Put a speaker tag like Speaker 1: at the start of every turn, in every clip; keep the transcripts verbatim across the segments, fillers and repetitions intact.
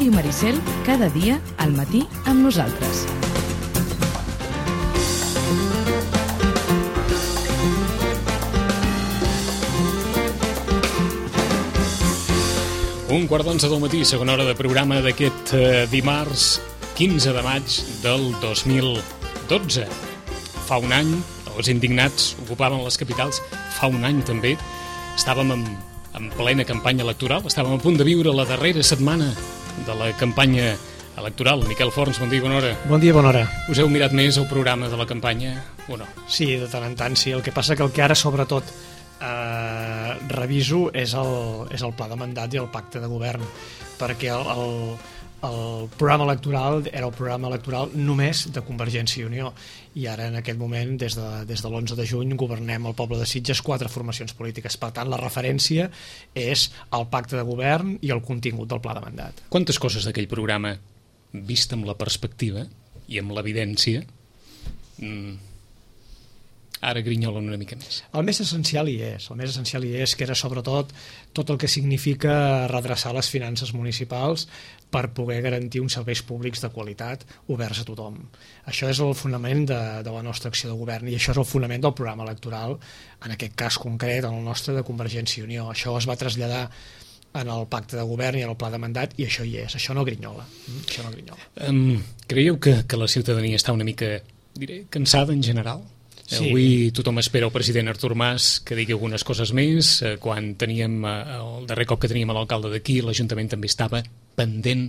Speaker 1: Ràdio Maricel, cada dia al matí amb nosaltres.
Speaker 2: Un quart d'onze del matí, segona hora de programa d'aquest eh, dimarts quinze de maig del dos mil dotze. Fa un any, els indignats ocupaven les capitals. Fa un any també estàvem en, en plena campanya electoral, estàvem a punt de viure la darrera setmana de la campanya electoral. Miquel Forns, bon dia, bona hora.
Speaker 3: Bon dia, bona hora.
Speaker 2: Us heu mirat més el programa de la campanya o no?
Speaker 3: Sí, de tant en tant, sí. El que passa que el que ara, sobretot, eh, reviso és el, és el pla de mandat i el pacte de govern, perquè el, el, el programa electoral era el programa electoral només de Convergència i Unió, i ara en aquest moment, des de, des de l'onze de juny, governem el poble de Sitges quatre formacions polítiques. Per tant, la referència és el pacte de govern i el contingut del pla de mandat.
Speaker 2: Quantes coses d'aquell programa, vist amb la perspectiva i amb l'evidència, mm, ara grinyolen una mica més?
Speaker 3: El més essencial hi és, el més essencial hi és, que era sobretot tot el que significa redreçar les finances municipals per poder garantir uns serveis públics de qualitat oberts a tothom. Això és el fonament de, de la nostra acció de govern, i això és el fonament del programa electoral, en aquest cas concret, en el nostre de Convergència i Unió. Això es va traslladar en el pacte de govern i en el pla de mandat, i això hi és, això no grinyola. Això no grinyola.
Speaker 2: Um, creieu que, que la ciutadania està una mica, diré, cansada en general? Sí. Avui tothom espera el president Artur Mas que digui algunes coses més. Quan teníem el darrer cop que teníem l'alcalde d'aquí, l'Ajuntament també estava pendent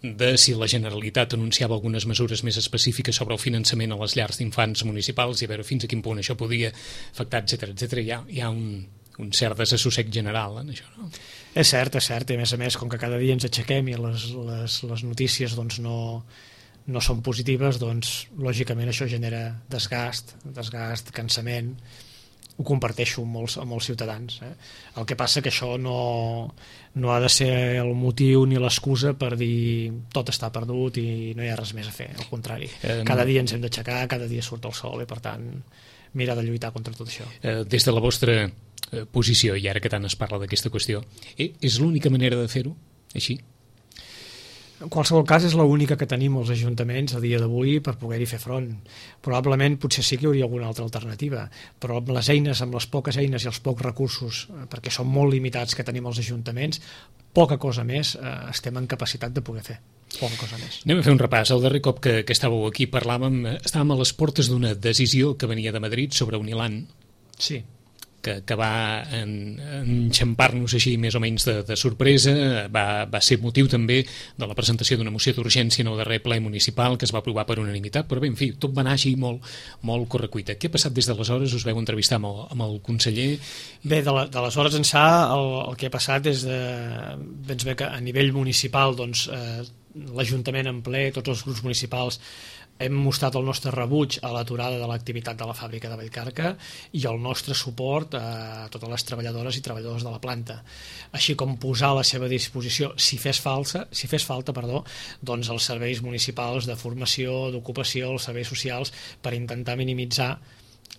Speaker 2: de si la Generalitat anunciava algunes mesures més específiques sobre el finançament a les llars d'infants municipals i a veure fins a quin punt això podia afectar, etcètera, etcètera. Hi ha, hi ha un, un cert desassossec general en això, no?
Speaker 3: És cert, és cert, i a més a més, com que cada dia ens aixequem i les, les, les notícies doncs no... no són positives, doncs lògicament això genera desgast, desgast, cansament. Ho comparteixo amb molts, amb molts ciutadans. Eh? El que passa que això no, no ha de ser el motiu ni l'excusa per dir tot està perdut i no hi ha res més a fer, al contrari. Eh, cada dia ens hem d'aixecar, cada dia surt el sol, i per tant mirar de lluitar contra tot això.
Speaker 2: Eh, des de la vostra eh, posició, i ara que tant es parla d'aquesta qüestió, eh, és l'única manera de fer-ho, així?
Speaker 3: En qualsevol cas, és l'única que tenim els ajuntaments a dia d'avui per poder-hi fer front. Probablement potser sí que hi hauria alguna altra alternativa, però amb les eines, amb les poques eines i els pocs recursos, perquè són molt limitats que tenim els ajuntaments, poca cosa més eh, estem en capacitat de poder fer. Poca cosa més.
Speaker 2: Anem a fer un repàs. El darrer cop que, que estàveu aquí parlàvem, estàvem a les portes d'una decisió que venia de Madrid sobre Unilan.
Speaker 3: Sí.
Speaker 2: que, que va en, enxampar-nos així més o menys de, de sorpresa. Va, va ser motiu també de la presentació d'una moció d'urgència en el darrer ple municipal que es va aprovar per unanimitat, però bé, en fi, tot va anar així molt, molt correcuita. Què ha passat des d'aleshores? Us veu entrevistar amb el, amb el conseller?
Speaker 3: Bé, d'aleshores ençà el, el que ha passat és de, doncs bé, que a nivell municipal doncs, eh, l'Ajuntament en ple, tots els grups municipals hem mostrat el nostre rebuig a l'aturada de l'activitat de la fàbrica de Vallcarca i el nostre suport a totes les treballadores i treballadors de la planta, així com posar a la seva disposició, si fes falta, si fes falta, perdó, doncs els serveis municipals de formació, d'ocupació, els serveis socials, per intentar minimitzar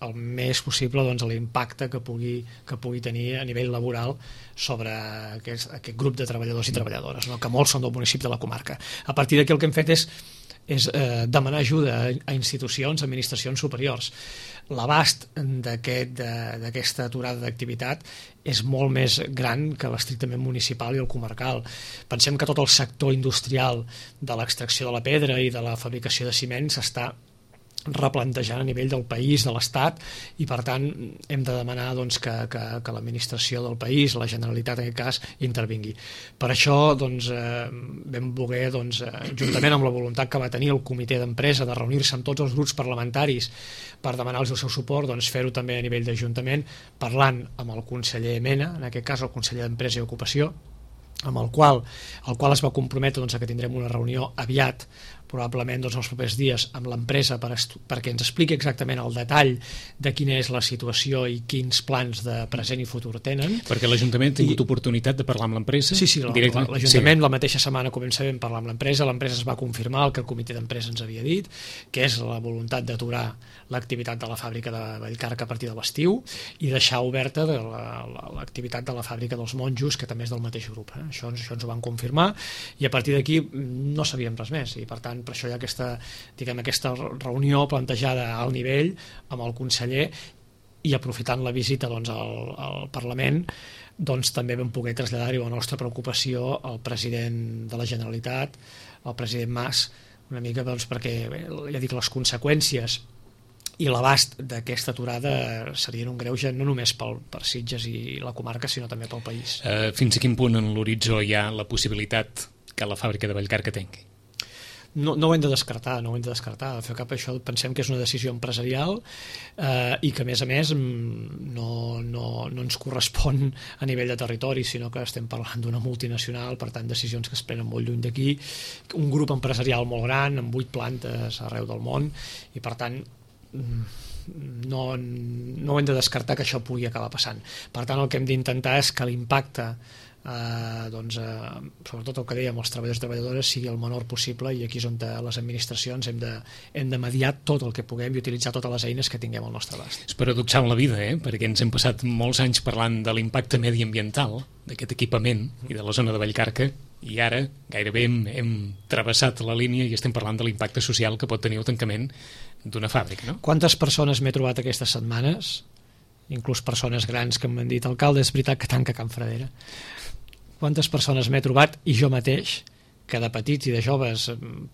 Speaker 3: el més possible doncs, l'impacte que pugui, que pugui tenir a nivell laboral sobre aquest, aquest grup de treballadors i treballadores, no? Que molts són del municipi de la comarca. A partir d'aquí el que hem fet és és eh, demanar ajuda a, a institucions, administracions superiors. L'abast d'aquesta aquest, aturada d'activitat és molt més gran que l'estrictament municipal i el comarcal. Pensem que tot el sector industrial de l'extracció de la pedra i de la fabricació de ciment s'està replantejant a nivell del país, de l'Estat, i per tant hem de demanar doncs, que, que, que l'administració del país, la Generalitat en aquest cas, intervingui. Per això doncs, eh, vam voler, doncs, eh, juntament amb la voluntat que va tenir el comitè d'empresa de reunir-se amb tots els grups parlamentaris per demanar-los el seu suport, doncs, fer-ho també a nivell d'Ajuntament, parlant amb el conseller Mena, en aquest cas el conseller d'Empresa i Ocupació, amb el qual, el qual es va comprometre doncs, a que tindrem una reunió aviat probablement doncs, els propers dies amb l'empresa per perquè ens expliqui exactament el detall de quina és la situació i quins plans de present i futur tenen.
Speaker 2: Perquè l'Ajuntament ha tingut I... oportunitat de parlar amb l'empresa?
Speaker 3: Sí, sí, l'Ajuntament sí. La mateixa setmana començàvem a parlar amb l'empresa, l'empresa es va confirmar el que el comitè d'empresa ens havia dit, que és la voluntat d'aturar l'activitat de la fàbrica de Vallcarca a partir de l'estiu i deixar oberta de l'activitat de la fàbrica dels monjos, que també és del mateix grup. Eh? Això, això ens ho van confirmar i a partir d'aquí no sabíem res més i per tant per això hi ha aquesta, diguem, aquesta reunió plantejada al nivell amb el conseller i aprofitant la visita doncs, al, al Parlament doncs, també vam poder traslladar-hi la nostra preocupació al president de la Generalitat, al president Mas, una mica doncs, perquè bé, ja dic, les conseqüències i l'abast d'aquesta aturada serien un greuge no només pel, per Sitges i la comarca, sinó també pel país.
Speaker 2: Uh, fins a quin punt en l'horitzó hi ha la possibilitat que la fàbrica de Vallcarca tanqui?
Speaker 3: No, no ho hem de descartar, no ho hem de descartar. De fet, cap això pensem que és una decisió empresarial eh, i que, a més a més, no, no, no ens correspon a nivell de territori, sinó que estem parlant d'una multinacional, per tant, decisions que es prenen molt lluny d'aquí, un grup empresarial molt gran, amb vuit plantes arreu del món, i, per tant, no, no hem de descartar que això pugui acabar passant. Per tant, el que hem d'intentar és que l'impacte Uh, doncs, uh, sobretot el que dèiem els treballadors i treballadores sigui el menor possible i aquí és on les administracions hem de, hem de mediar tot el que puguem i utilitzar totes les eines que tinguem al nostre abast.
Speaker 2: És paradoxal la vida, eh? Perquè ens hem passat molts anys parlant de l'impacte mediambiental d'aquest equipament i de la zona de Vallcarca i ara gairebé hem, hem travessat la línia i estem parlant de l'impacte social que pot tenir el tancament d'una fàbrica, no?
Speaker 3: Quantes persones m'he trobat aquestes setmanes, inclús persones grans que m'han dit alcalde, és veritat que tanca Can Fradera. Quantes persones m'he trobat, i jo mateix, que de petits i de joves,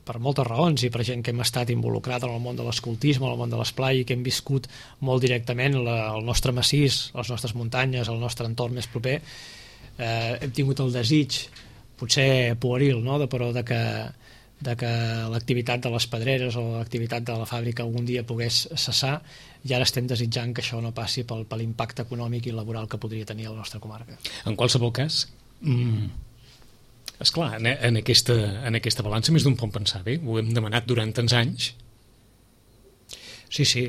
Speaker 3: per moltes raons, i per gent que hem estat involucrat en el món de l'escoltisme, en el món de l'esplai, i que hem viscut molt directament la, el nostre massís, les nostres muntanyes, el nostre entorn més proper, eh, hem tingut el desig, potser pueril, no?, de, però de que, de que l'activitat de les pedreres o l'activitat de la fàbrica algun dia pogués cessar, i ara estem desitjant que això no passi pel, per l'impacte econòmic i laboral que podria tenir a la nostra comarca.
Speaker 2: En qualsevol cas, Mm. esclar, en, en, aquesta, en aquesta balança més d'un pot pensar, bé, ho hem demanat durant tants anys.
Speaker 3: Sí, sí,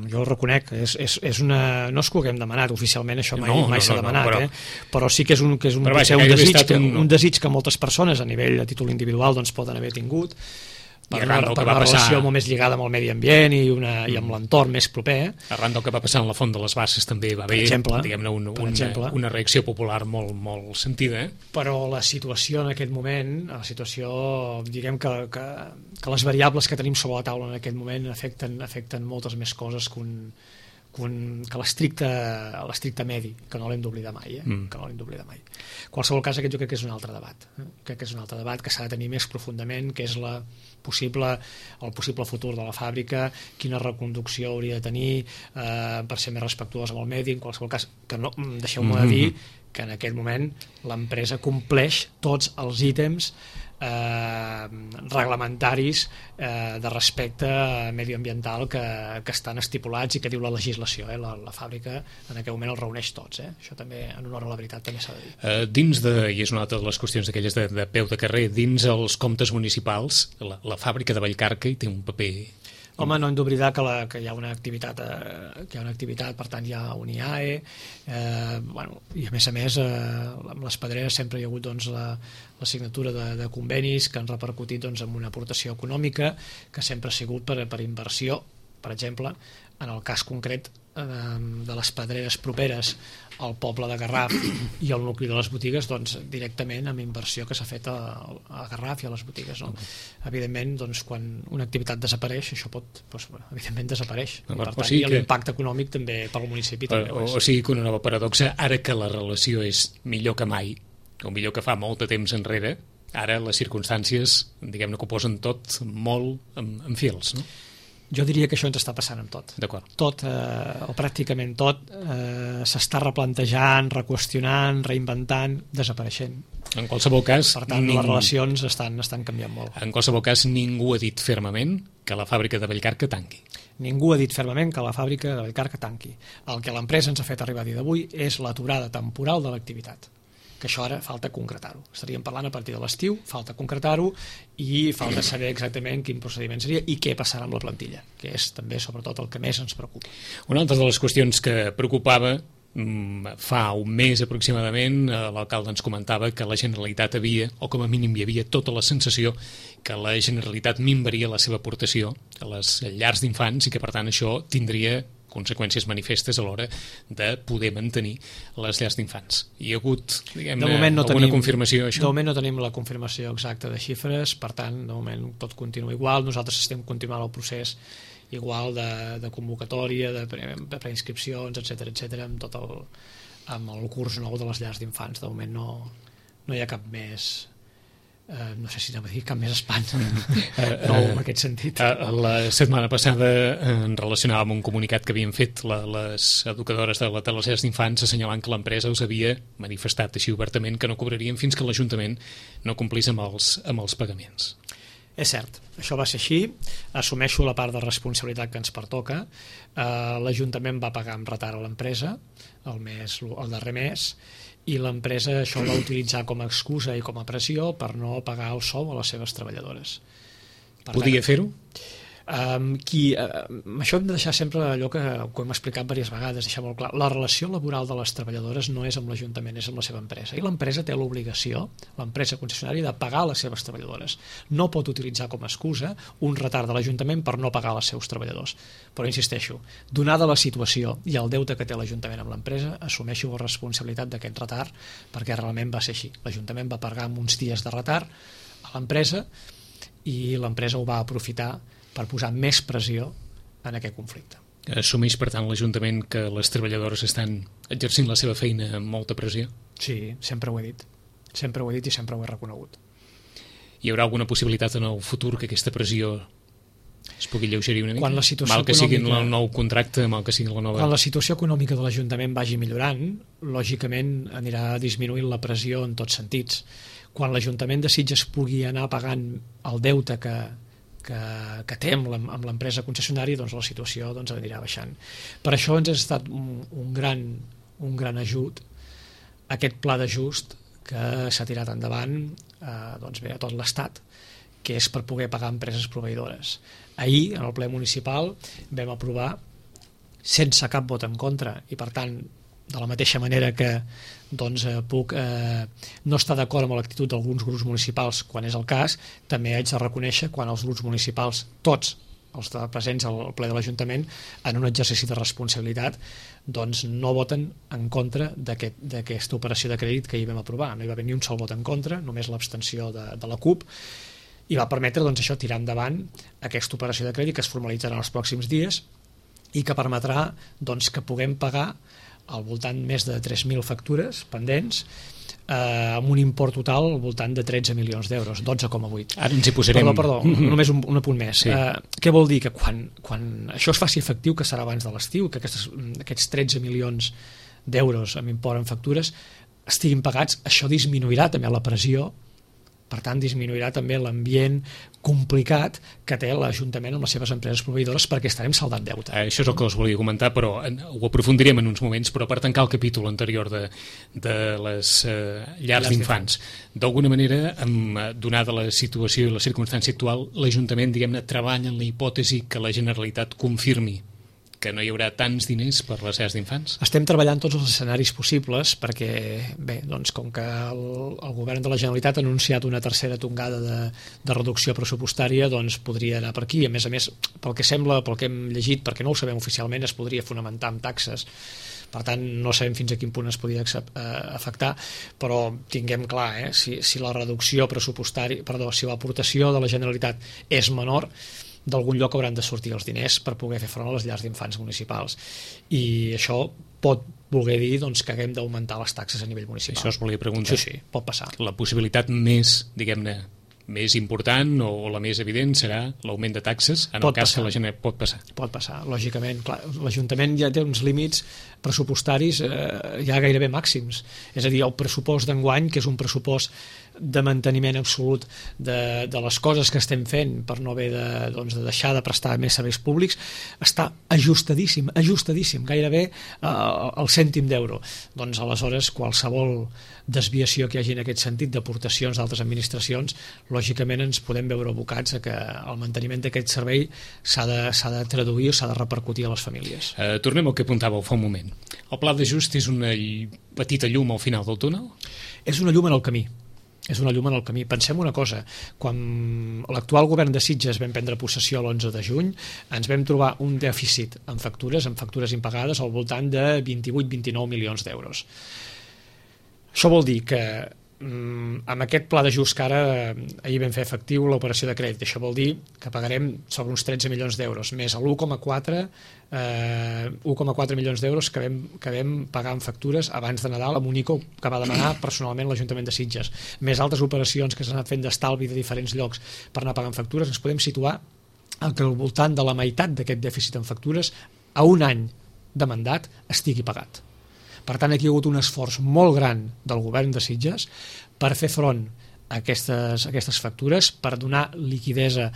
Speaker 3: jo ho reconec, és, és, és una... no és que ho haguem demanat oficialment, això mai,
Speaker 2: no,
Speaker 3: mai
Speaker 2: no,
Speaker 3: s'ha
Speaker 2: no,
Speaker 3: demanat,
Speaker 2: no, però...
Speaker 3: eh? Però sí que és un, que és un,
Speaker 2: vaja,
Speaker 3: un, desig, que,
Speaker 2: un...
Speaker 3: un desig que moltes persones a nivell a títol individual doncs, poden haver tingut, per una, per una
Speaker 2: passar...
Speaker 3: relació molt més lligada amb el medi ambient i, una, mm. i amb l'entorn més proper.
Speaker 2: Arran del que va passar en la Font de les Basses també va haver, diguem-ne, un, un, una, una reacció popular molt, molt sentida. Eh?
Speaker 3: Però la situació en aquest moment, la situació, diguem que, que, que les variables que tenim sobre la taula en aquest moment afecten, afecten moltes més coses que un, que, un, que l'estricte medi, que no l'hem d'oblidar mai, eh? mm. que no l'hem d'oblidar mai. En qualsevol cas, aquest jo crec que és un altre debat. Eh? Crec que és un altre debat que s'ha de tenir més profundament, que és la possible, el possible futur de la fàbrica, quina reconducció hauria de tenir eh, per ser més respectuosa amb el medi. En qualsevol cas, que no, deixeu-me mm-hmm. de dir que en aquest moment l'empresa compleix tots els ítems eh, reglamentaris eh, de respecte medioambiental que, que estan estipulats i que diu la legislació. Eh? La, la fàbrica en aquest moment els reuneix tots. Eh? Això també, en honor a la veritat, també s'ha de dir.
Speaker 2: Uh, dins de, i és una altra de les qüestions d'aquelles de, de peu de carrer, dins els comptes municipals, la, la fàbrica de Vallcarca hi té un paper...
Speaker 3: Home, no hem d'oblidar que, la, que hi ha una activitat, eh, que hi ha una activitat, per tant hi ha un I A E, eh, bueno, i a més a més, eh, amb les pedreres sempre hi ha hagut doncs, la, la signatura de, de convenis que han repercutit doncs, en una aportació econòmica que sempre ha sigut per, per inversió, per exemple, en el cas concret eh, de les pedreres properes al poble de Garraf i al nucli de les botigues, doncs directament amb inversió que s'ha fet a, a Garraf i a les botigues. No? Evidentment, doncs, quan una activitat desapareix, això pot, doncs, evidentment desapareix. I, per tant, o sigui i l'impacte que... econòmic també per al municipi també
Speaker 2: o, o sigui que una nova paradoxa, ara que la relació és millor que mai, o millor que fa molt de temps enrere, ara les circumstàncies, diguem-ne, que ho posen tot molt en, en fils, no?
Speaker 3: Jo diria que això ens està passant amb tot.
Speaker 2: D'acord.
Speaker 3: Tot, eh, o pràcticament tot, eh, s'està replantejant, reqüestionant, reinventant, desapareixent.
Speaker 2: En qualsevol cas...
Speaker 3: Per tant, ningú... les relacions estan, estan canviant molt.
Speaker 2: En qualsevol cas, ningú ha dit fermament que la fàbrica de Vallcarca tanqui.
Speaker 3: Ningú ha dit fermament que la fàbrica de Vallcarca tanqui. El que l'empresa ens ha fet arribar a dia d'avui és l'aturada temporal de l'activitat. que això ara falta concretar-ho. Estaríem parlant a partir de l'estiu, falta concretar-ho i falta saber exactament quin procediment seria i què passarà amb la plantilla, que és també sobretot el que més ens preocupa.
Speaker 2: Una altra de les qüestions que preocupava fa un mes aproximadament, l'alcalde ens comentava que la Generalitat havia, o com a mínim hi havia tota la sensació que la Generalitat minvaria la seva aportació a les llars d'infants i que per tant això tindria conseqüències manifestes a l'hora de poder mantenir les llars d'infants. Hi ha hagut, diguem-ne,
Speaker 3: no
Speaker 2: alguna
Speaker 3: tenim,
Speaker 2: confirmació això?
Speaker 3: De moment no tenim la confirmació exacta de xifres, per tant, de moment tot continua igual. Nosaltres estem continuant el procés igual de, de convocatòria, de, pre, de preinscripcions, etcètera, etcètera, amb tot el, amb el curs nou de les llars d'infants. De moment no, no hi ha cap més... Uh, no sé si anem a dir cap més espant no en aquest sentit.
Speaker 2: Uh, la setmana passada en relacionava amb un comunicat que havien fet la, les educadores de, la, de les llars d'infants assenyalant que l'empresa us havia manifestat així obertament que no cobrarien fins que l'Ajuntament no complís amb els, amb els pagaments.
Speaker 3: És cert, això va ser així, assumeixo la part de responsabilitat que ens pertoca. uh, l'Ajuntament va pagar amb retard a l'empresa el, mes, el darrer mes i l'empresa això va utilitzar com a excusa i com a pressió per no pagar el sou a les seves treballadores.
Speaker 2: Per Podia fer-ho?
Speaker 3: Um, qui, uh, això hem de deixar sempre allò que, que hem explicat diverses vegades, deixar molt clar. La relació laboral de les treballadores no és amb l'Ajuntament, és amb la seva empresa. I l'empresa té l'obligació, l'empresa concessionària, de pagar les seves treballadores. No pot utilitzar com a excusa un retard de l'Ajuntament per no pagar els seus treballadors. Però insisteixo, donada la situació i el deute que té l'Ajuntament amb l'empresa, assumeixo la responsabilitat d'aquest retard perquè realment va ser així. L'Ajuntament va pagar amb uns dies de retard a l'empresa i l'empresa ho va aprofitar per posar més pressió en aquest conflicte.
Speaker 2: Assumeix, per tant, l'Ajuntament que les treballadores estan exercint la seva feina amb molta pressió?
Speaker 3: Sí, sempre ho he dit. Sempre ho he dit i sempre ho he reconegut.
Speaker 2: Hi haurà alguna possibilitat en el futur que aquesta pressió es pugui lleugerir una mica?
Speaker 3: Quan la situació
Speaker 2: mal que sigui
Speaker 3: econòmica...
Speaker 2: el nou contracte, mal que sigui la nova...
Speaker 3: Quan la situació econòmica de l'Ajuntament vagi millorant, lògicament anirà disminuint la pressió en tots sentits. Quan l'Ajuntament de Sitges pugui anar pagant el deute que que, que té amb l'empresa concessionària, doncs la situació doncs, anirà baixant. Per això ens ha estat un, un, gran, un gran ajut aquest pla d'ajust que s'ha tirat endavant eh, doncs bé, a tot l'Estat, que és per poder pagar empreses proveïdores. Ahir, en el ple municipal, vam aprovar sense cap vot en contra i, per tant, de la mateixa manera que doncs, eh, puc eh, no estar d'acord amb l'actitud d'alguns grups municipals quan és el cas, també haig de reconèixer quan els grups municipals, tots els de presents al ple de l'Ajuntament, en un exercici de responsabilitat, doncs no voten en contra d'aquesta aquest, operació de crèdit que hi vam aprovar. No hi va haver ni un sol vot en contra, només l'abstenció de, de la CUP, i va permetre doncs, això tirar endavant aquesta operació de crèdit que es formalitzarà en els pròxims dies i que permetrà doncs, que puguem pagar al voltant més de tres mil factures pendents, eh, amb un import total al voltant de tretze milions d'euros, dotze coma vuit.
Speaker 2: Ara ens hi posarem...
Speaker 3: Perdó, perdó, només un, un apunt més.
Speaker 2: Sí.
Speaker 3: Eh, què vol dir? Que quan, quan això es faci efectiu, que serà abans de l'estiu, que aquestes, aquests tretze milions d'euros amb import en factures estiguin pagats, això disminuirà també la pressió, per tant disminuirà també l'ambient complicat que té l'Ajuntament amb les seves empreses proveïdores perquè estarem saldant deute.
Speaker 2: Això és el que us volia comentar, però ho aprofundirem en uns moments, però per tancar el capítol anterior de, de les eh, llars d'infants, d'alguna manera, amb, donada la situació i la circumstància actual, l'Ajuntament, diguem-ne, treballa en la hipòtesi que la Generalitat confirmi que no hi haurà tants diners per les llars d'infants?
Speaker 3: Estem treballant tots els escenaris possibles perquè, bé, doncs com que el, el govern de la Generalitat ha anunciat una tercera tongada de, de reducció pressupostària, doncs podria anar per aquí. A més a més, pel que sembla, pel que hem llegit, perquè no ho sabem oficialment, es podria fonamentar amb taxes. Per tant, no sabem fins a quin punt es podria afectar, però tinguem clar, eh, si, si la reducció pressupostària, perdó, si l'aportació de la Generalitat és menor, d'algun lloc hauran de sortir els diners per poder fer front a les llars d'infants municipals. I això pot voler dir doncs, que haguem d'augmentar les taxes a nivell municipal.
Speaker 2: Això us volia preguntar.
Speaker 3: Sí, sí, pot passar.
Speaker 2: La possibilitat més, diguem-ne, més important o, o la més evident serà l'augment de taxes en
Speaker 3: pot
Speaker 2: el cas
Speaker 3: passar.
Speaker 2: que la gent pot passar.
Speaker 3: Pot passar, lògicament. L'Ajuntament ja té uns límits pressupostaris eh, ja gairebé màxims. És a dir, el pressupost d'enguany, que és un pressupost de manteniment absolut de, de les coses que estem fent per no haver de, doncs, de deixar de prestar més serveis públics, està ajustadíssim, ajustadíssim, gairebé eh, el cèntim d'euro. Doncs aleshores qualsevol desviació que hi hagi en aquest sentit d'aportacions d'altres administracions, lògicament ens podem veure abocats a que el manteniment d'aquest servei s'ha de, s'ha de traduir o s'ha de repercutir a les famílies.
Speaker 2: Eh, tornem al que apuntàveu fa un moment. El pla d'ajust és una petita llum al final del túnel?
Speaker 3: És una llum en el camí. És una llum en el camí. Pensem una cosa, quan l'actual govern de Sitges vam prendre possessió l'onze de juny, ens vam trobar un dèficit en factures, en factures impagades, al voltant de vint-i-vuit a vint-i-nou milions d'euros. Això vol dir que mm, amb aquest pla d'ajust que ara ahir vam fer efectiu l'operació de crèdit, això vol dir que pagarem sobre uns tretze milions d'euros, més l'u coma quatre eh, u coma quatre milions d'euros que vam, que vam pagar en factures abans de Nadal amb un I C O que va demanar personalment l'Ajuntament de Sitges, més altres operacions que s'han anat fent d'estalvi de diferents llocs per anar pagant factures, ens podem situar al que al voltant de la meitat d'aquest dèficit en factures a un any de mandat estigui pagat. Per tant, aquí hi ha hagut un esforç molt gran del govern de Sitges per fer front a aquestes, a aquestes factures, per donar liquidesa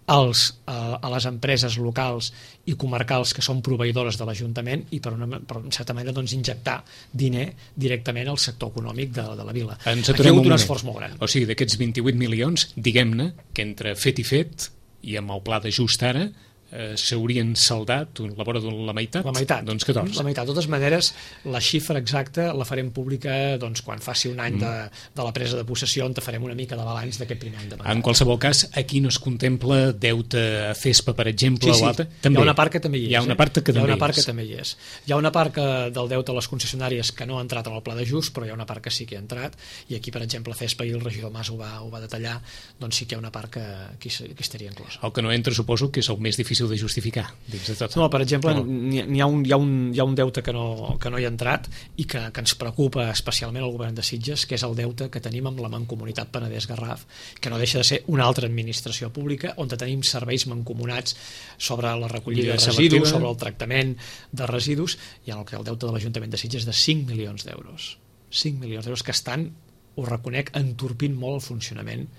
Speaker 3: als, a, a les empreses locals i comarcals que són proveïdores de l'Ajuntament i per, una, per en certa manera doncs, injectar diner directament al sector econòmic de, de la vila.
Speaker 2: Ens
Speaker 3: aquí hi ha hagut un,
Speaker 2: un
Speaker 3: esforç molt gran.
Speaker 2: O sigui, d'aquests vint-i-vuit milions, diguem-ne que entre fet i fet i amb el pla d'ajust ara eh, s'haurien saldat la vora de la meitat?
Speaker 3: La meitat,
Speaker 2: doncs catorze.
Speaker 3: La meitat. De totes maneres, la xifra exacta la farem pública doncs, quan faci un any mm. de, de la presa de possessió, on te farem una mica de balanç d'aquest primer any de mandat.
Speaker 2: En qualsevol cas, aquí no es contempla deute a Fespa, per exemple,
Speaker 3: sí, sí.
Speaker 2: o altre? També.
Speaker 3: Hi ha una part que també hi és.
Speaker 2: Hi ha una part que,
Speaker 3: eh?
Speaker 2: també,
Speaker 3: hi ha una part
Speaker 2: és.
Speaker 3: que també hi és. Hi ha una part que, del deute a les concessionàries que no ha entrat en el pla d'ajust, però hi ha una part que sí que ha entrat, i aquí, per exemple, Fespa, i el regidor Mas ho va, ho va detallar, doncs sí que hi ha una part que, que, que estaria inclosa.
Speaker 2: El que no entra, suposo, que és el més difícil de justificar. Dins de tot.
Speaker 3: No, per exemple, no. N'hi ha, un, hi ha, un, hi ha un deute que no, que no hi ha entrat i que, que ens preocupa especialment al govern de Sitges, que és el deute que tenim amb la Mancomunitat Penedès-Garraf, que no deixa de ser una altra administració pública on tenim serveis mancomunats sobre la recollida de residus, sobre el tractament de residus, i en el que el deute de l'Ajuntament de Sitges és de cinc milions d'euros. cinc milions d'euros que estan, ho reconec, entorpint molt el funcionament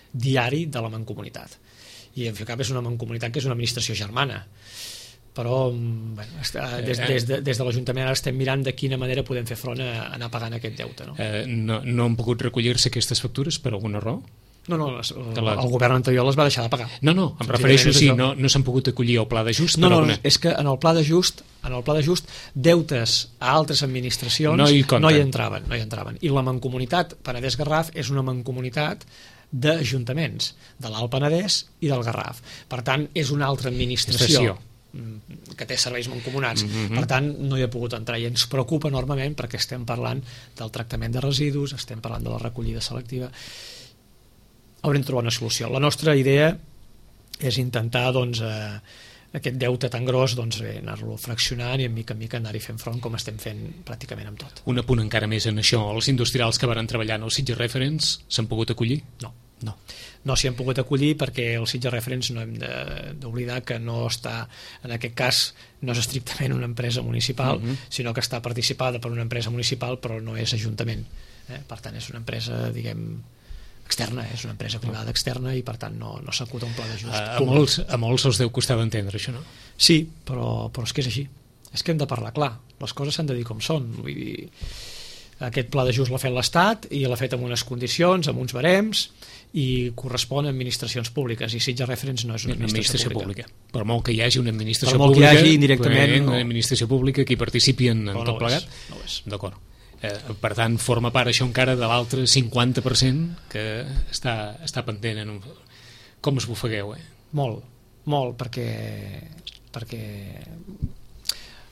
Speaker 3: diari de la Mancomunitat. I en fi, cap és una Mancomunitat que és una administració germana, però bueno, des, des, de, des de l'Ajuntament ara estem mirant de quina manera podem fer front a anar pagant aquest deute. No,
Speaker 2: eh, no, no han pogut recollir-se aquestes factures per alguna raó?
Speaker 3: No, no, les, la... el govern anterior les va deixar de pagar.
Speaker 2: No, no, em refereixo si no, no s'han pogut acollir al pla d'ajust.
Speaker 3: No, no,
Speaker 2: alguna...
Speaker 3: és que en el pla d'ajust en el pla d'ajust deutes a altres administracions
Speaker 2: no hi,
Speaker 3: no hi entraven, no hi entraven. I la Mancomunitat Penedès-Garraf és una mancomunitat d'ajuntaments de l'Alt Penedès i del Garraf. Per tant, és una altra administració
Speaker 2: Estació.
Speaker 3: que té serveis mancomunats.
Speaker 2: Mm-hmm.
Speaker 3: Per tant, no hi ha pogut entrar i ens preocupa enormement perquè estem parlant del tractament de residus, estem parlant de la recollida selectiva. Haurem de trobar una solució. La nostra idea és intentar doncs, eh, aquest deute tan gros doncs, eh, anar-lo fraccionant i en mica en mica anar-hi fent front com estem fent pràcticament amb tot.
Speaker 2: Un apunt encara més en això. Els industrials que van treballar en el Sitges Reference s'han pogut acollir?
Speaker 3: No.
Speaker 2: No.
Speaker 3: No s'hi han pogut acollir perquè el Sitges Reference no hem d'oblidar que no està, en aquest cas no és estrictament una empresa municipal, mm-hmm. sinó que està participada per una empresa municipal però no és ajuntament. Eh? Per tant, és una empresa, diguem, externa, és una empresa privada externa i per tant no, no s'acuta un pla d'ajust.
Speaker 2: A, a, molts, a molts els deu costar d'entendre això, no?
Speaker 3: Sí, però, però és que és així. És que hem de parlar clar. Les coses s'han de dir com són. Vull dir, aquest pla d'ajust l'ha fet l'Estat i l'ha fet amb unes condicions, amb uns barems, i correspon a administracions públiques, i Sitges Reference no és una administració,
Speaker 2: administració
Speaker 3: pública.
Speaker 2: pública. Per molt que hi hagi una administració
Speaker 3: per molt
Speaker 2: pública,
Speaker 3: que hi hagi indirectament,
Speaker 2: una
Speaker 3: no.
Speaker 2: administració pública que hi participi en, en
Speaker 3: no,
Speaker 2: tot
Speaker 3: no
Speaker 2: plegat.
Speaker 3: És, no és.
Speaker 2: D'acord. Eh, per tant, forma part això encara de l'altre cinquanta per cent que està, està pendent. En un... Com us bufegueu, eh?
Speaker 3: Molt, molt, perquè, perquè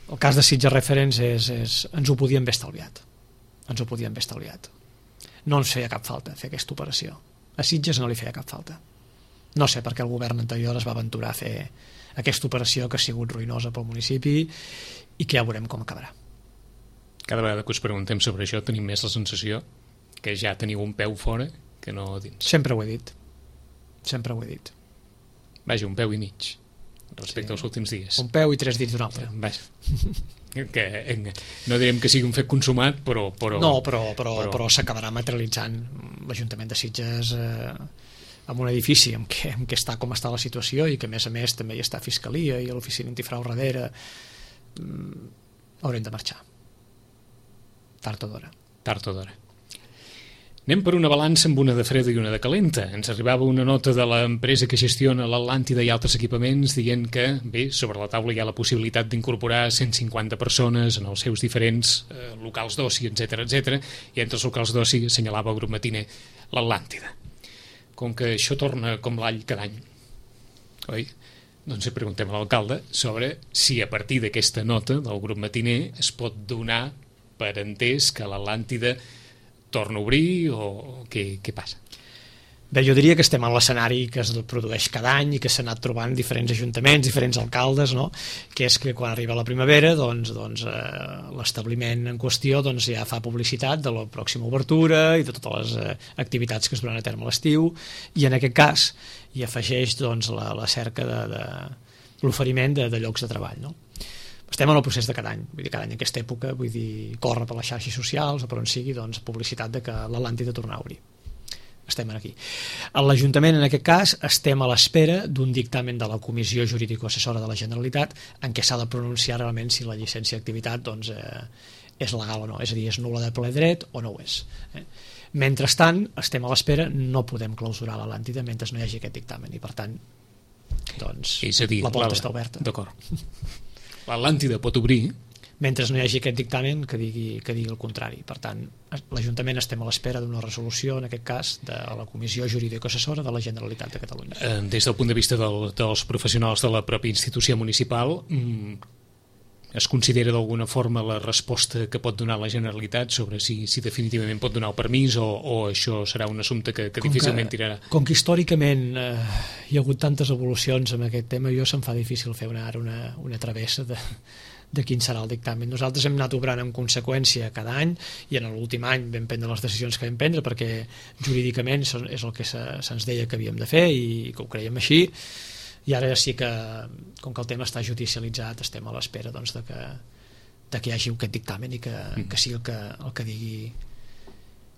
Speaker 3: el cas de Sitges Reference és, és, ens ho podíem haver estalviat. Ens ho podíem haver estalviat. No ens feia cap falta fer aquesta operació. A Sitges no li feia cap falta. No sé per què el govern anterior es va aventurar a fer aquesta operació que ha sigut ruïnosa pel municipi i que ja veurem com acabarà.
Speaker 2: Cada vegada que us preguntem sobre això tenim més la sensació que ja teniu un peu fora que no dins.
Speaker 3: Sempre ho he dit. Sempre ho he dit.
Speaker 2: Vaja, un peu i mig. respecte sí. als últims dies.
Speaker 3: Un peu i tres dits d'un altre.
Speaker 2: Vaja. Que, no direm que sigui un fet consumat, però... però
Speaker 3: no, però, però,
Speaker 2: però...
Speaker 3: però s'acabarà materialitzant l'Ajuntament de Sitges eh, amb un edifici en què, en què està com està la situació i que a més a més també hi està Fiscalia i l'oficina antifrau darrere. Mm, haurem de marxar. Tard o d'hora.
Speaker 2: Tard o d'hora. Anem per una balança amb una de freda i una de calenta. Ens arribava una nota de l'empresa que gestiona l'Atlàntida i altres equipaments dient que, bé, sobre la taula hi ha la possibilitat d'incorporar cent cinquanta persones en els seus diferents eh, locals d'oci, etcètera, etcètera, i entre els locals d'oci assenyalava el grup matiner l'Atlàntida. Com que això torna com l'all cada any, oi? Doncs preguntem a l'alcalde sobre si a partir d'aquesta nota del grup matiner es pot donar per entès que l'Atlàntida torna a obrir o què, què passa?
Speaker 3: Bé, jo diria que estem en l'escenari que es produeix cada any i que s'ha anat trobant diferents ajuntaments, diferents alcaldes, no? Que és que quan arriba la primavera doncs, doncs, eh, l'establiment en qüestió doncs, ja fa publicitat de la pròxima obertura i de totes les eh, activitats que es duran a terme a l'estiu, i en aquest cas hi afegeix doncs, la, la cerca de, de l'oferiment de, de llocs de treball, no? Estem en el procés de cada any, vull dir, cada any en aquesta època, vull dir, corre per les xarxes socials o per on sigui, doncs, publicitat de que l'Atlàntida torna a obrir. Estem aquí. A l'Ajuntament, en aquest cas, estem a l'espera d'un dictamen de la Comissió Jurídico-Assessora de la Generalitat en què s'ha de pronunciar realment si la llicència d'activitat doncs, eh, és legal o no, és a dir, és nul·la de ple dret o no ho és. Eh? Mentrestant, estem a l'espera, no podem clausurar l'Atlàntida mentre no hi hagi aquest dictamen i, per tant, doncs,
Speaker 2: és a dir,
Speaker 3: la porta
Speaker 2: la...
Speaker 3: està oberta.
Speaker 2: D'acord. L'Atlàntida pot obrir
Speaker 3: mentre no hi hagi aquest dictamen que digui, que digui el contrari. Per tant, l'Ajuntament estem a l'espera d'una resolució, en aquest cas, de la Comissió Jurídico-Assessora de la Generalitat de Catalunya.
Speaker 2: Eh, des del punt de vista del, dels professionals de la pròpia institució municipal, es considera d'alguna forma la resposta que pot donar la Generalitat sobre si, si definitivament pot donar el permís o, o això serà un assumpte que, que difícilment tirarà?
Speaker 3: Com que històricament eh, hi ha hagut tantes evolucions en aquest tema, jo se'm fa difícil fer una, ara una, una travessa de, de quin serà el dictamen. Nosaltres hem anat obrant en conseqüència cada any i en l'últim any vam prendre les decisions que vam prendre perquè jurídicament és el que se, se'ns deia que havíem de fer i que ho creiem així. I ara sí que, com que el tema està judicialitzat, estem a l'espera doncs, de, que, de que hi hagi aquest dictamen i que, mm. que sigui el que, el que digui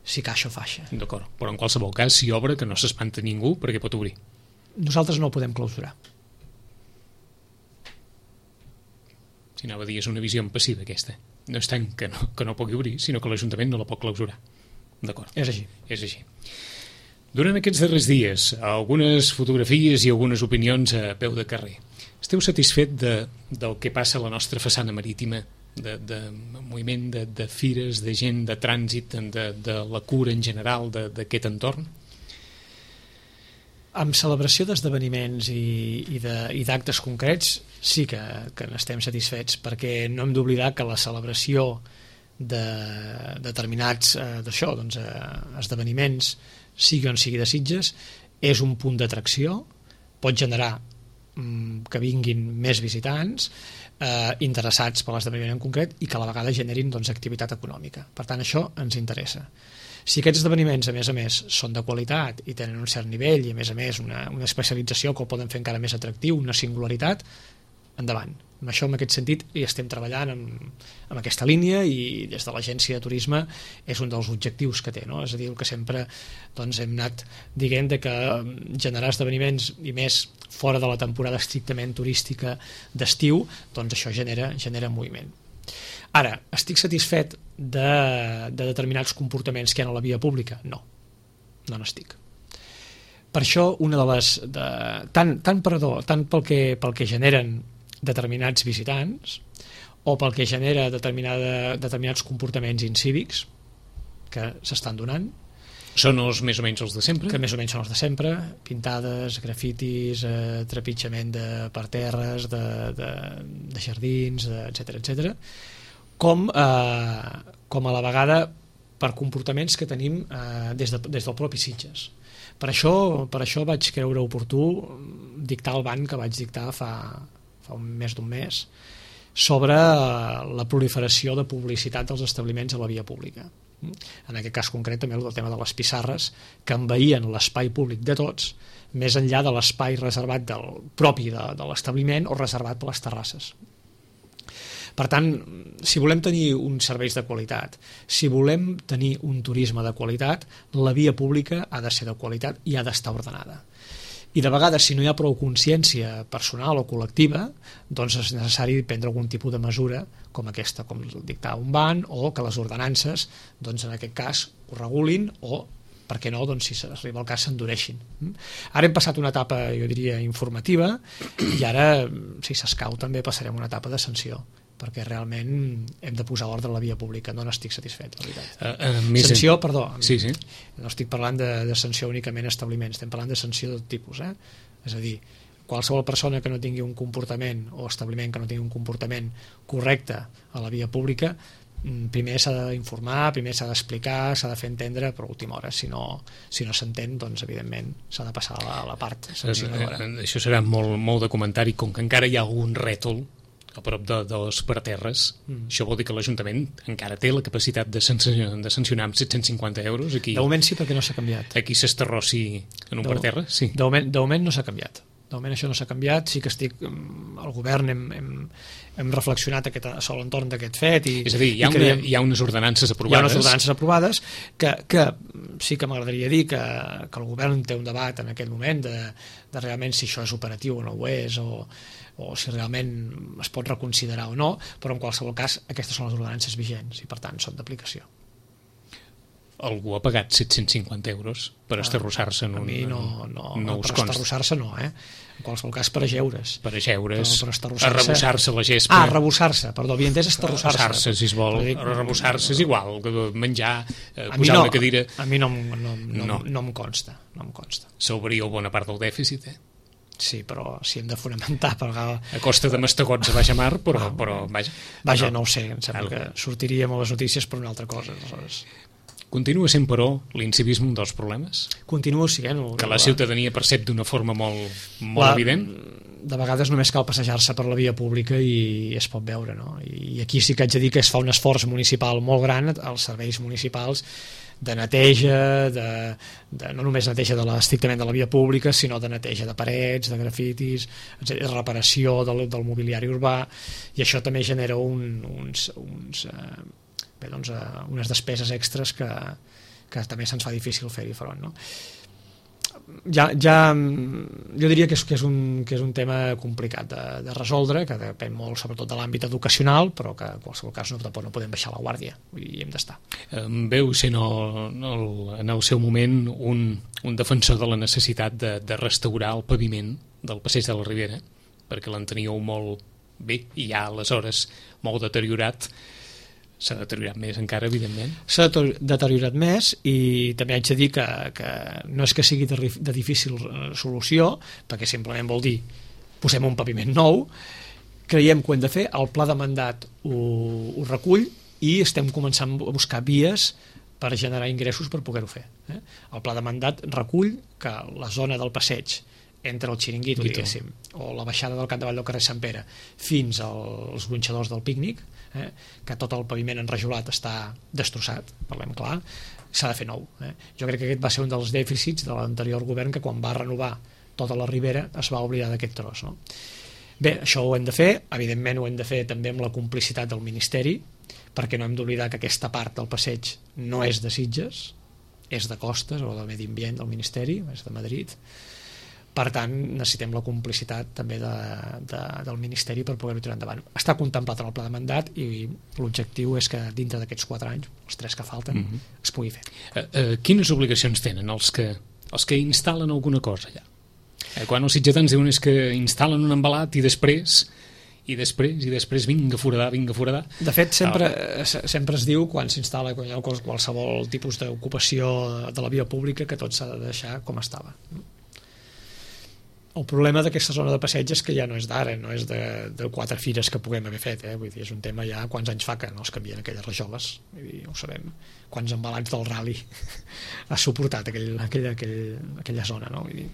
Speaker 3: si caixa o faixa.
Speaker 2: D'acord, però en qualsevol cas, si obre, que no s'espanta ningú perquè pot obrir.
Speaker 3: Nosaltres no ho podem clausurar.
Speaker 2: Si anava a dir, és una visió passiva aquesta. No és tant que no, que no pugui obrir, sinó que l'Ajuntament no la pot clausurar. D'acord.
Speaker 3: És així.
Speaker 2: És així. Durant aquests darrers dies, algunes fotografies i algunes opinions a peu de carrer. Esteu satisfet de, del que passa a la nostra façana marítima, de, de moviment de, de fires, de gent, de trànsit, de, de la cura en general d'aquest entorn?
Speaker 3: Amb celebració d'esdeveniments i, i d'actes concrets sí que, que n'estem satisfets, perquè no hem d'oblidar que la celebració de determinats eh, d'això, doncs, eh, esdeveniments, sigui on sigui de Sitges, és un punt d'atracció, pot generar mm, que vinguin més visitants eh, interessats per l'esdeveniment en concret i que a la vegada generin doncs, activitat econòmica. Per tant, això ens interessa. Si aquests esdeveniments, a més a més, són de qualitat i tenen un cert nivell i, a més a més, una, una especialització que el poden fer encara més atractiu, una singularitat, endavant. Amb això, en aquest sentit, hi estem treballant amb, amb aquesta línia i des de l'agència de turisme és un dels objectius que té, no? És a dir, el que sempre doncs, hem anat dient de que generar esdeveniments i més fora de la temporada estrictament turística d'estiu, doncs això genera, genera moviment. Ara, estic satisfet de, de determinats comportaments que hi ha a la via pública? No, no n'estic. Per això, una de les... De, tant, tant, perdó, tant pel que, pel que generen determinats visitants o pel que genera determinada, determinats comportaments incívics que s'estan donant.
Speaker 2: Són els més o menys els de sempre?
Speaker 3: Que més o menys són els de sempre, pintades, grafitis, eh, trepitjament de parterres, de, de, de jardins, etcètera, etcètera, com, eh, com a la vegada per comportaments que tenim eh, des, de, des del propi Sitges. Per això, per això vaig creure oportú dictar el ban que vaig dictar fa fa un més d'un mes, sobre la proliferació de publicitat dels establiments a la via pública. En aquest cas concret també el tema de les pissarres que envaïen l'espai públic de tots més enllà de l'espai reservat del propi de, de l'establiment o reservat per les terrasses. Per tant, si volem tenir uns serveis de qualitat, si volem tenir un turisme de qualitat, la via pública ha de ser de qualitat i ha d'estar ordenada. I de vegades, si no hi ha prou consciència personal o col·lectiva, doncs és necessari prendre algun tipus de mesura com aquesta, com dictar un ban, o que les ordenances, doncs en aquest cas, ho regulin, o, per què no, doncs si s'arriba al cas, s'endureixin. Ara hem passat una etapa, jo diria, informativa, i ara, si s'escau, també passarem una etapa de sanció, perquè realment hem de posar ordre a la via pública. No n'estic satisfet, la veritat. Uh, uh, sanció, en... perdó,
Speaker 2: sí, sí.
Speaker 3: No estic parlant de, de sanció únicament a establiments, estem parlant de sanció de tot tipus, eh? És a dir, qualsevol persona que no tingui un comportament o establiment que no tingui un comportament correcte a la via pública, primer s'ha d'informar, primer s'ha d'explicar, s'ha de fer entendre, però a última hora, si no si no s'entén, doncs evidentment s'ha de passar a la, a la part sancionadora.
Speaker 2: Això serà molt, molt de comentari, com que encara hi ha algun rètol a prop de, dels parterres, mm. això vol dir que l'Ajuntament encara té la capacitat de sancionar, de sancionar amb set-cents cinquanta euros. Aquí,
Speaker 3: de moment sí, perquè no s'ha canviat.
Speaker 2: Aquí s'estarrossi en un
Speaker 3: de,
Speaker 2: parterre? Sí.
Speaker 3: De moment, de moment no s'ha canviat. De moment això no s'ha canviat. Sí que estic... El govern hem, hem, hem reflexionat aquest, a l'entorn d'aquest fet. I,
Speaker 2: és a dir, hi ha, una, creiem, hi ha unes ordenances aprovades.
Speaker 3: Hi ha unes ordenances aprovades que, que sí que m'agradaria dir que, que el govern té un debat en aquest moment de, de realment si això és operatiu o no ho és, o o si realment es pot reconsiderar o no, però en qualsevol cas aquestes són les ordenances vigents i per tant són d'aplicació.
Speaker 2: Algú ha pagat set-cents cinquanta euros per ah, estarrossar-se en un...
Speaker 3: A mi no, no,
Speaker 2: no
Speaker 3: per estarrossar-se no, eh? En qualsevol cas per ajeure's.
Speaker 2: Per ajeure's,
Speaker 3: per
Speaker 2: arrebossar-se la gespa.
Speaker 3: Ah, arrebossar-se, perdó, havia entès estarrossar-se.
Speaker 2: Arrebossar-se, si es vol, arrebossar-se és igual, menjar, eh,
Speaker 3: a
Speaker 2: posar
Speaker 3: no,
Speaker 2: una cadira...
Speaker 3: A mi no, no, no, no. no em consta, no em consta.
Speaker 2: S'obria bona part del dèficit, eh?
Speaker 3: Sí, però si hem de fonamentar per...
Speaker 2: a costa de mastegots a baixa mar, però, ah, però vaja.
Speaker 3: Vaja, no, no ho sé, em sembla algo. Que sortiríem a les notícies per una altra cosa. Aleshores.
Speaker 2: Continua sent, però, l'incivisme un dels problemes?
Speaker 3: Continua sent.
Speaker 2: Que la ciutadania percep d'una forma molt, molt la, evident?
Speaker 3: De vegades només cal passejar-se per la via pública i es pot veure, no? I aquí sí que haig de dir que es fa un esforç municipal molt gran als serveis municipals de neteja, de, de, no només neteja de la, estrictament de la via pública, sinó de neteja de parets, de grafitis, etcètera, de reparació del, del mobiliari urbà, i això també genera un, uns, uns, eh, bé, doncs, eh, unes despeses extres que, que també se'ns fa difícil fer-hi front, no? Ja, ja, jo diria que és, que és, un, que és un tema complicat de, de resoldre, que depèn molt sobretot de l'àmbit educacional, però que en qualsevol cas no, tampoc no podem baixar la guàrdia i hem d'estar.
Speaker 2: Veu sent el, el, en el seu moment un, un defensor de la necessitat de, de restaurar el paviment del passeig de la Ribera, perquè l'enteníeu molt bé i ja aleshores molt deteriorat. S'ha deteriorat més encara, evidentment.
Speaker 3: S'ha deteriorat més i també haig de dir que, que no és que sigui de, de difícil solució, perquè simplement vol dir posem un paviment nou, creiem que ho hem de fer, el pla de mandat ho, ho recull i estem començant a buscar vies per generar ingressos per poder-ho fer. Eh? El pla de mandat recull que la zona del passeig entre el xiringuito, diguéssim, o la baixada del Camp de Vall del carrer Sant Pere fins als gronxadors del pícnic, eh, que tot el paviment enrajolat està destrossat, parlem clar, s'ha de fer nou. Eh. Jo crec que aquest va ser un dels dèficits de l'anterior govern, que quan va renovar tota la Ribera es va oblidar d'aquest tros. No? Bé, això ho hem de fer, evidentment ho hem de fer també amb la complicitat del Ministeri, perquè no hem d'oblidar que aquesta part del passeig no és de Sitges, és de Costes o del Medi Ambient del Ministeri, és de Madrid. Per tant, necessitem la complicitat també de, de, del Ministeri per poder-ho tirar endavant. Està contemplat en el pla de mandat i l'objectiu és que dintre d'aquests quatre anys, els tres que falten, mm-hmm. es pugui fer.
Speaker 2: Uh, uh, quines obligacions tenen els que, els que instal·len alguna cosa allà? Uh, quan els sitgetans diuen és que instal·len un embalat i després i després, i després vinga a foradar, vinga a foradar.
Speaker 3: De fet, sempre, oh. sempre es diu, quan s'instal·la qualsevol tipus d'ocupació de la via pública, que tot s'ha de deixar com estava. El problema d'aquesta zona de passeig és que ja no és d'ara, no és de, de quatre fires que puguem haver fet, eh? Vull dir, és un tema ja quants anys fa que no es canvien aquelles rajoles, vull dir, ho sabem, quants embalats del rally ha suportat aquell, aquell, aquell, aquella zona, no? Vull dir,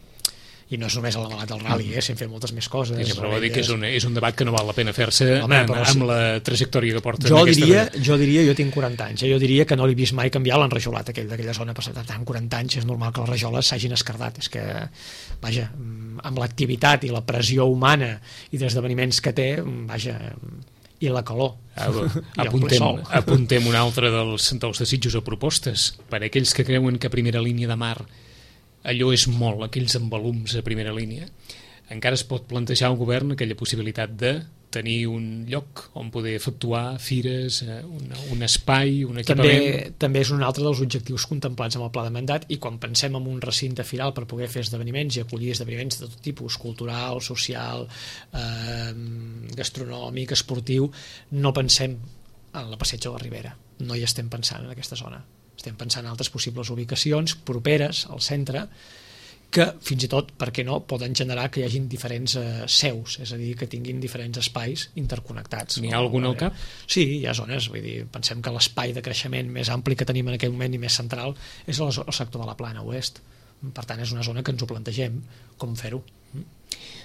Speaker 3: i no és només el debat del rally, eh? S'han fet moltes més coses.
Speaker 2: Sí, però vol dir que és un, és un debat que no val la pena fer-se
Speaker 3: Home,
Speaker 2: amb,
Speaker 3: sí.
Speaker 2: amb la trajectòria que porta
Speaker 3: jo
Speaker 2: en aquesta
Speaker 3: diria,
Speaker 2: manera.
Speaker 3: jo diria, jo tinc quaranta anys, eh? Jo diria que no l'he vist mai canviar l'enrajolat aquell d'aquella zona, per tant, quaranta anys és normal que les rajoles s'hagin escardat. És que, vaja, amb l'activitat i la pressió humana i d'esdeveniments que té, vaja, i la calor.
Speaker 2: Ah,
Speaker 3: I
Speaker 2: apuntem, apuntem un altre dels, dels desitjos o propostes per a aquells que creuen que a primera línia de mar allò és molt, aquells embalums a primera línia. Encara es pot plantejar al govern aquella possibilitat de tenir un lloc on poder efectuar fires, un, un espai, un equipament.
Speaker 3: També, també és un altre dels objectius contemplats amb el pla de mandat, i quan pensem en un recinte firal per poder fer esdeveniments i acollir esdeveniments de tot tipus, cultural, social, eh, gastronòmic, esportiu, no pensem en la Passeig de la Ribera, no hi estem pensant en aquesta zona. Estem pensant en altres possibles ubicacions properes al centre, que fins i tot, per què no, poden generar que hi hagin diferents eh, seus, és a dir, que tinguin diferents espais interconnectats.
Speaker 2: N'hi ha algun al cap?
Speaker 3: Sí, hi ha zones, vull dir, pensem que l'espai de creixement més ampli que tenim en aquell moment i més central és el, el sector de la Plana Oest. Per tant, és una zona que ens ho plantegem, com fer-ho.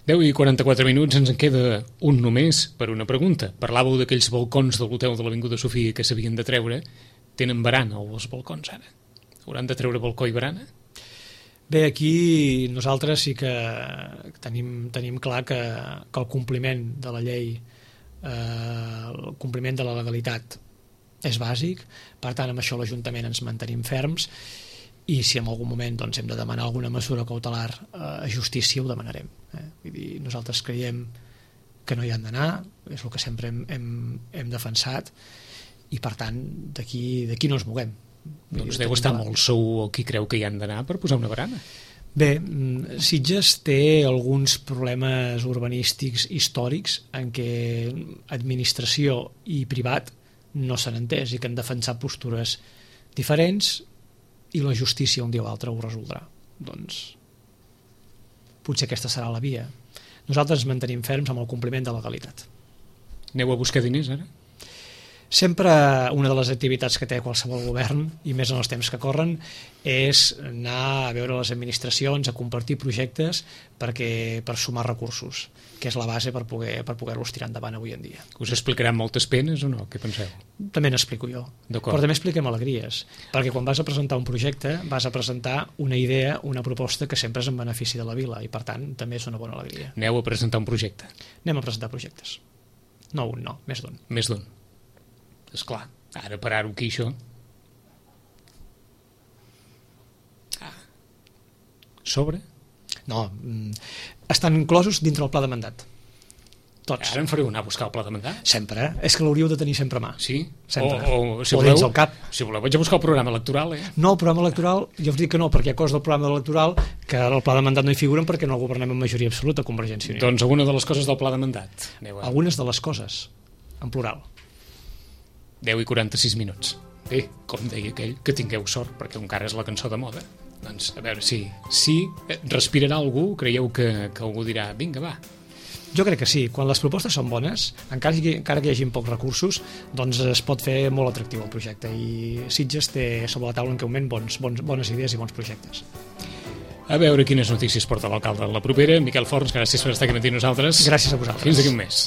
Speaker 2: deu i quaranta-quatre minuts, ens en queda un només per una pregunta. Parlàveu d'aquells balcons de l'hotel de l'Avinguda Sofia que s'havien de treure. Tenen barana els balcons ara? Hauran de treure balcó i barana?
Speaker 3: Bé, aquí nosaltres sí que tenim, tenim clar que, que el compliment de la llei, eh, el compliment de la legalitat és bàsic, per tant amb això l'Ajuntament ens mantenim ferms, i si en algun moment doncs, hem de demanar alguna mesura cautelar eh, a justícia, ho demanarem. Eh? Vull dir, nosaltres creiem que no hi han d'anar, és el que sempre hem, hem, hem defensat, i per tant d'aquí d'aquí no ens moguem.
Speaker 2: Doncs deu estar molt segur qui creu que hi han d'anar per posar una barana.
Speaker 3: Bé, Sitges té alguns problemes urbanístics històrics en què administració i privat no s'han entès i que han defensat postures diferents, i la justícia un dia o altre ho resoldrà. Doncs potser aquesta serà la via. Nosaltres ens mantenim ferms amb el compliment de la legalitat.
Speaker 2: Aneu a buscar diners ara?
Speaker 3: Sempre una de les activitats que té qualsevol govern, i més en els temps que corren, és anar a veure les administracions, a compartir projectes perquè, per sumar recursos, que és la base per poder per poder-los tirar endavant avui en dia.
Speaker 2: Us explicaran moltes penes o no? Què penseu?
Speaker 3: També n'explico jo, però també expliquem alegries, perquè quan vas a presentar un projecte vas a presentar una idea, una proposta que sempre és en benefici de la vila, i per tant també és una bona alegria.
Speaker 2: Aneu a presentar un projecte?
Speaker 3: Anem a presentar projectes. No un, no, més d'un.
Speaker 2: Més d'un. Esclar, ara parar-ho aquí, això. Ah. Sobre?
Speaker 3: No, estan inclosos dintre el pla de mandat. Tots.
Speaker 2: Ara em fareu anar a buscar el pla de mandat?
Speaker 3: Sempre, eh? És que l'hauríeu de tenir sempre a mà.
Speaker 2: Sí?
Speaker 3: Sempre.
Speaker 2: O, o, si
Speaker 3: o
Speaker 2: voleu,
Speaker 3: dins del cap.
Speaker 2: Si voleu, vaig a buscar el programa electoral, eh?
Speaker 3: No, el programa electoral, jo us dic que no, perquè hi ha coses del programa electoral que el pla de mandat no hi figuren perquè no governem amb majoria absoluta, Convergència i Unió.
Speaker 2: Doncs alguna de les coses del pla de mandat. Aneu a...
Speaker 3: Algunes de les coses, en plural.
Speaker 2: deu i quaranta-sis minuts. Bé, com deia aquell, que tingueu sort, perquè encara és la cançó de moda. Doncs, a veure si, si respirarà algú, creieu que, que algú dirà, vinga, va.
Speaker 3: Jo crec que sí, quan les propostes són bones, encara que, encara que hi hagi pocs recursos, doncs es pot fer molt atractiu el projecte, i Sitges té sobre la taula en aquest moment bons, bons, bones idees i bons projectes.
Speaker 2: A veure quines notícies porta l'alcalde de la propera. Miquel Forns, gràcies per estar aquí amb nosaltres.
Speaker 3: Gràcies a vosaltres.
Speaker 2: Fins d'aquí un mes.